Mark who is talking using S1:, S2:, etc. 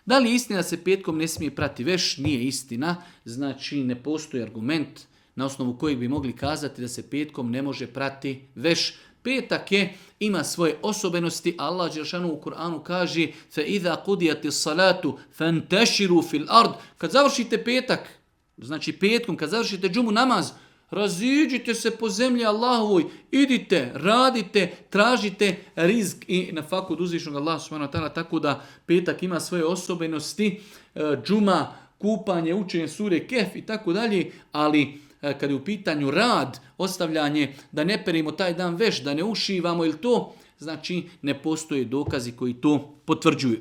S1: Da li je istina da se petkom ne smije prati veš? Nije istina. Znači ne postoji argument na osnovu kojeg bi mogli kazati da se petkom ne može prati veš. Petak ima svoje osobenosti. Allah dželešanu u Kur'anu kaže فَإِذَا قُدِيَتِ الصَّلَاةُ فَانْتَشِرُوا فِي الْأَرْضِ. Kad završite petak, znači petkom, kad završite džumu namaz, raziđite se po zemlji Allahovoj, idite, radite, tražite rizk i na faku od uzvišnog Allaha subhanahu wa ta'ala, tako da petak ima svoje osobenosti, džuma, kupanje, učenje sure Kehf i tako dalje, ali kad je u pitanju rad, ostavljanje, da ne perimo taj dan veš, da ne ušivamo ili to, znači ne postoje dokazi koji to potvrđuju.